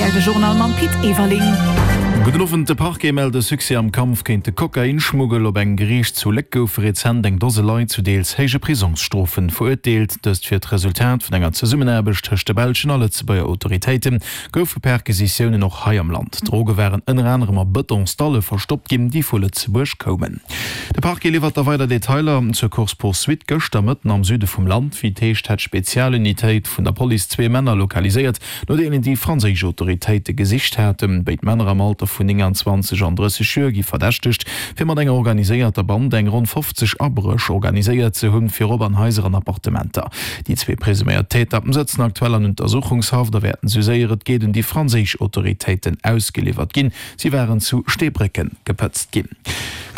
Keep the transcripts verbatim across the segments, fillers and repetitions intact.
R T L de Journal mam Pit Everling. Gudden Owend, De Parquet mellt e Succès am Kampf géint de Kokainschmuggel. Op engem Geriicht zu Léck goufe rezent eng Dose Leit zu deels héije Prisongsstrofen verurteelt. Dëst wier d'Resultat vun enger Zesummenaarbecht tëscht de belschen a Lëtzebuerger Autoritéiten. Goufe Perquisitiounen och hei am Land. D'Droge waren ënner anerem a Bëtonsdalle verstoppt ginn, déi vu Lëtzebuerg koumen. De Parquet liwwert da weider Detailer zur Course-poursuite gëschter Mëtten am Süde vum Land. Wéi et heescht, hätt d'Spezialunitéit vun der Police zwee Männer lokaliséiert, no deenen déi franséisch Autoritéite gesicht haten. Béid Männer am Alter vun nénganzwanzeg an drësseg Joer gi verdächtegt, fir mat enger organiséierter Band eng ronn fofzeg Abréch organiséiert ze hunn, virop an Haiser an Appartementer. Déi zwee presuméiert Täter sëtzen aktuell an Untersuchungshaft a wäerten, sou séier et geet, un déi franséisch Autoritéiten ausgeliwwert ginn. Si waren zu Steebrécken gepëtzt ginn.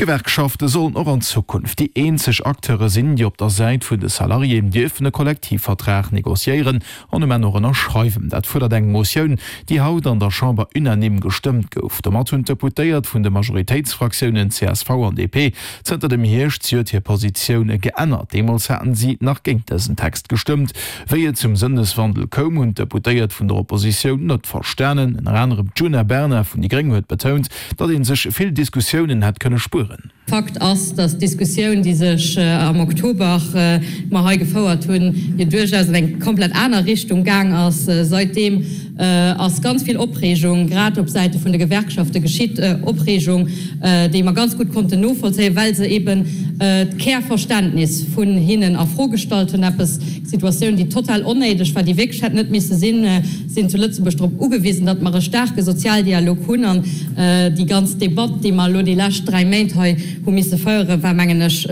D'Gewerkschafte sollen och an Zukunft déi eenzeg Acteure sinn, déi op der Säit vun de Salariéen dierfen e Kollektivvertrag negociéieren an um Enn och ënnerschreiwen. Dat fuerdert eng Motioun, déi haut an der Chamber unanime gestëmmt gouf. Domat hunn d'Deputéiert vun de Majoritéitsfraktiounen C S V an D P zënter dem Hierscht zejoert hir Positioun geännert. Deemools haten si nach géint dësen Text gestëmmt. Wéi et zum Sënneswandel koum, hunn d'Deputéiert vun der Oppositioun net verstanen. Ënner anerem d'Djuna Bernard vun déi Gréng huet betount, datt ee sech vill Diskussiounen hätt kënne spueren. Fakt ass, dass d'Diskussioun, déi sech am Oktober mer hei gefouert hunn, jo duerchaus an eng komplett aner Richtung gaang ass. Saitdeem ass ganz vill Opreegung, grad op Säite vun de Gewerkschafte geschitt, Opreegung, déi mer ganz gutt konnten novollzéien, well se eben d'Kärverständnis vun hinnen a Fro gestallt hunn, eppes, Situatioun, déi total onnéideg war, déi wierklech hätt net misse sinn. Sinn zu Lëtzebuerg drop ugewisen, datt mer e staarke Sozialdialog hunn, an déi ganz Debatt, déi mer elo déi lescht dräi Méint hei hu misse féieren, war, mengen ech,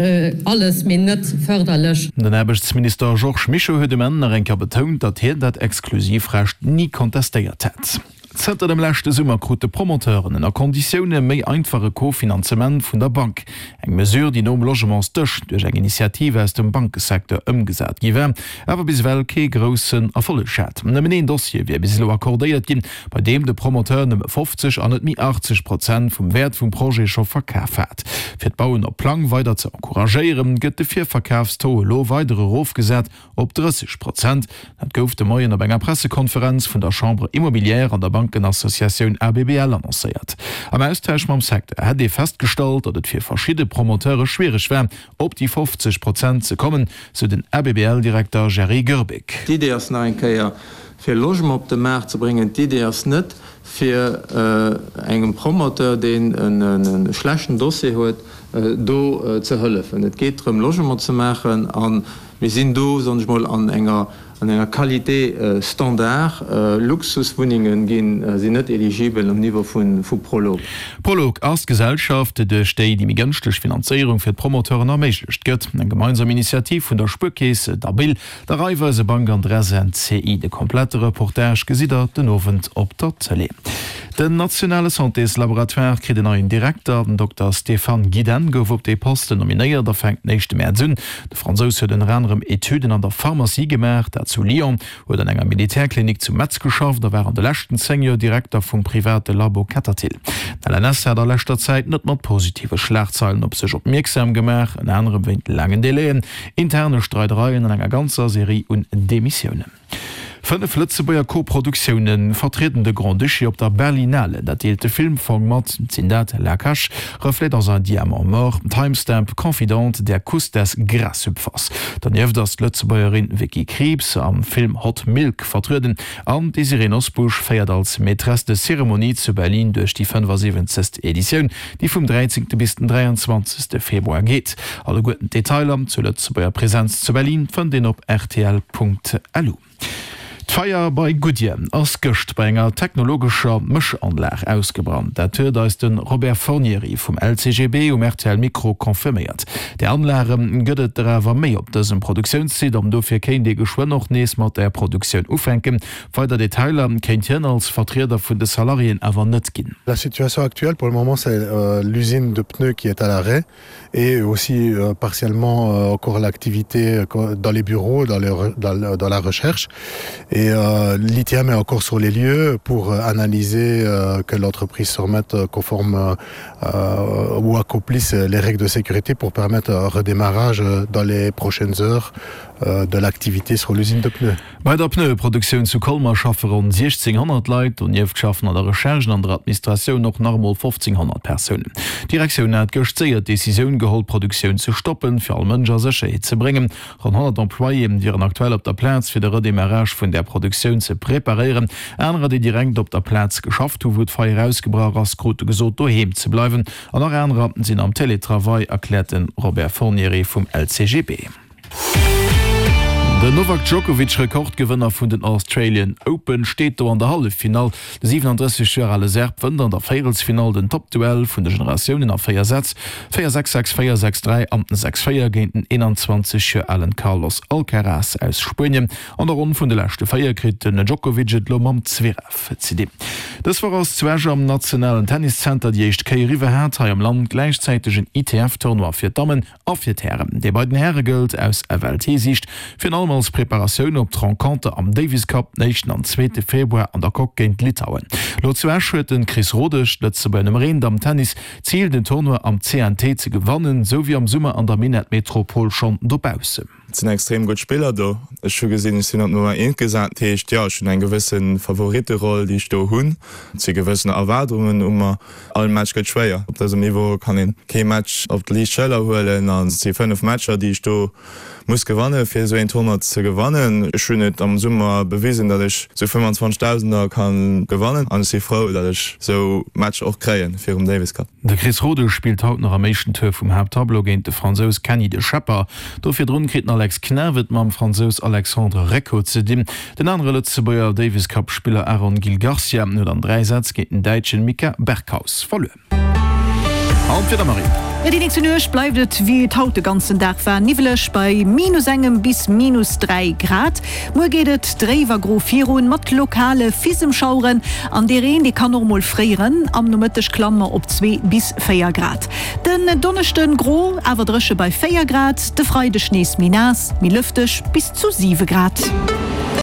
alles, mee net fërderlech. Den Aarbechtsminister Georges Mischo huet um Enn nach eng Kéier betount, datt hien dat Exklusivrecht ni kontestéiert hätt. Zënter dem leschte Summer krute Promoteuren ënner Konditioune méi einfach e Kofinanzement vun der Bank. Eng Mesure, déi nom Logementsdësch duerch eng Initiativ aus dem Bankesecteur ëmgesat gi war, awer bis ewell kee groussen Erfolleg hat. Nëmmen een Dossier wier bis elo accordéiert ginn, bei deem de Promoteur nëmme fofzeg an net méi achtzeg Prozent vum Wäert vum Projet scho verkaf hat. Fir d'Bauen op Plang weider ze encouragéieren, gëtt de Virverkafstaux elo weider erofgesat op drësseg Prozent. Dat gouf de Moien op enger Pressekonferenz vun der Chambre Immobilière an der Bankenassociatioun A B B L annoncéiert. Am Austausch mam Secteur hätt ee festgestallt, datt et fir verschidde Promoteure schwiereg war, op déi fofzeg Prozent ze kommen, sou den A B B L-Direkter Jerry Goerbeck. D'Idee ass nach eng Kéier, fir Logement op de Maart ze bréngen. D'Idee ass net, fir engem Promoteur, deen e schlechten Dossier huet, do ze hëllefen. Et geet drëm, Logement ze maachen, a mir sinn do, soen ech mol, an enger an enger Qualité standard. Luxuswunnenge ginn, sinn net eligibel um Niveau vu Prolog. Prolog ass d'Gesellschaft, duerch déi déi méi gënschteg Finanzéierung fir d'Promoteuren erméiglecht gëtt. Eng gemeinsam Initiativ vun der Spuerkeess, der B I L, der Raiffeisebank an der S N C I. De komplette Reportage gesitt der den Owend op der Tëlee. Den nationale Santéslaboratoire kritt en neien Direkter. Den Dokter Stéphane Gidenne gouf op dee Posten nominéiert a fänkt den éischte Mäerz un. De Fransous huet ënner anerem Etüden an der Pharmacie gemaach, dat zu Lyon, huet an enger Militärklinik zu Metz geschafft a war an de leschten zéng Joer Direkter vum private Labo Kettertil. Den L N S hat a leschter Zäit net mat positive Schlagzeilen op sech opmierksam gemaach, ënner anerem wéint laangen Delaien, interne Streidereien an enger ganzer Serie un Demissiounen. Fënnef Lëtzebuerger Koproduktioune vertrieden de Grand-Duché op der Berlinale, dat deelt de Filmfong mat. Et sinn dat La Cache, Reflets dans un diamant mort, Timestamp, Confidente, Der Kuss des Grashüpfers. Donieft ass d'Lëtzebuergerin Vicky Krieps am Film Hot Milk vertrueden an d'Désirée Nosbusch féiert als Maîtresse de cérémonie zu Berlin duerch déi fënnefasiwwenzegst Editioun, déi vum dräizéngte bis den dräianzwanzegste Februar geet. Alleguerten d'Detailer zur Lëtzebuerger Presenz zu Berlin fënnt een op rtl Punkt lu. D'Feier bei Goodyear ass gëscht bei enger technologescher Mëschanlag ausgebrannt. Dat huet eis de Robert Fornieri vum L C G B um R T L Mikro confirméiert. Där Anlage gëtt et der awer méi op dësem Produktiounssite an dofir kéint ee geschwënn och nees mat der Produktioun ufänken. Weider Detailer kéint hien als Vertrieder vun de Salariéen awer net ginn. La situation actuelle pour le moment, c'est l'usine de pneus qui est à l'arrêt et aussi partiellement encore l'activité dans les bureaux, dans le, dans, dans la recherche. Et euh, l'I T M est encore sur les lieux pour analyser euh, que l'entreprise se remette conforme euh, ou accomplisse les règles de sécurité pour permettre un redémarrage dans les prochaines heures. euh, de l'activité sur l'usine de pneus. Bei der Pneueproduktioun zu Colmer schaffe ronn siechzénghonnert Leit, donieft schaffen an der Recherche an der Administratioun och nach emol fofzénghonnert Persounen. D'Direktioun hat gëscht séier d'Decisioun geholl, d'Produktioun ze stoppen, fir all Mënsch a Sécherheet ze bréngen. Ronn honnert Employéë wieren aktuell op der Plaz, fir de Redémarrage vun där Produktioun ze preparéieren. Anerer, déi direkt op der Plaz geschafft hu wou d'Feier ausgebrach ass, krute gesot, doheem ze bleiwen an nach anerer sinn am Télétravail, erkläert de Robert Fornieri vum L C G B. Den Novak Djokovic, Rekordgewënner vun den Australian Open, steet do an der Halleffinall. De siwenandrësseg Joer ale Serb wënnt an der Véierelsfinall den Toppduell vun de Generatiounen a véier Sätz, véier sechs, sechs véier, sechs dräi an sechs véier géint den eenanzwanzeg Joer alen Carlos Alcaraz aus Spuenien. An der Ronn vun de leschte véier kritt den Djokovic et lo mam Zverev ze dinn. Dës Woch ass zu Esch am nationalen Tenniszenter déi éischt Kéier iwwerhat hei am Land gläichzäiteg en I T F-Tournoi fir d'Dammen a fir d'Hären. Dee bei den Häre gëllt aus F L T-Siicht virun allem als Preparatioun op d'Renconter am Davis Cup den éischten an zweete Februar an der Coque géint Litauen. Lo zu Esch huet de Chris Rodesch, d'Lëtzebuerger Nummer eent am Tennis, d'Zil den Tournoi am C N T ze gewannen, sou wéi am Summer an der Minettmetropol schonn dobaussen. Et sinn extrem gutt Spiller do. Ech hu gesinn, ech sinn op Nummer eent gesat, dat heescht, jo, ech hunn eng gewësse Favoritteroll, déi ech do hunn. Et si gewëssen Erwaardungen u mer. All Match gëtt schwéier. Op dësem Niveau kann een kee Match op d'liicht Schëller huelen an et si fënnef Matcher, déi ech do muss gewannen, fir esou een Tournoi ze gewannen. Ech hunn et am Summer bewisen, datt ech sou fëmmanzwanzegdausender kann gewannen an ech si frou, datt ech sou Matcher och kréien virum Davis Cup. De Chris Rodesch spillt haut nach am éischten Tour vum Haapttableau géint de Fransous Kenny de Schepper. Do virdrun kritt den Alex Knaff et mam Fransous Alexandre Recco ze dinn. Den anere Lëtzebuerger Davis Cup Spiller Aaron Gil Garcia huet an dräi Sätz géint den Däitschen Mika Berghaus verluer. An d'Wieder, Marie. Jo, déi nächste Nuecht bleift et wéi et haut de ganzen Dag war, niwweleg bei minus engem bis minus dräi Grad. Muer geet et dréif a gro virun, mat lokale Fisemschaueren an dee Reen, dee kann och mol fréieren. Am Nomëtteg klamme mer op zwee bis véier Grad. Den Donneschden gro, awer dréche bei véier Grad, de Freideg nees méi naass, méi lëfteg, bis zu siwe Grad.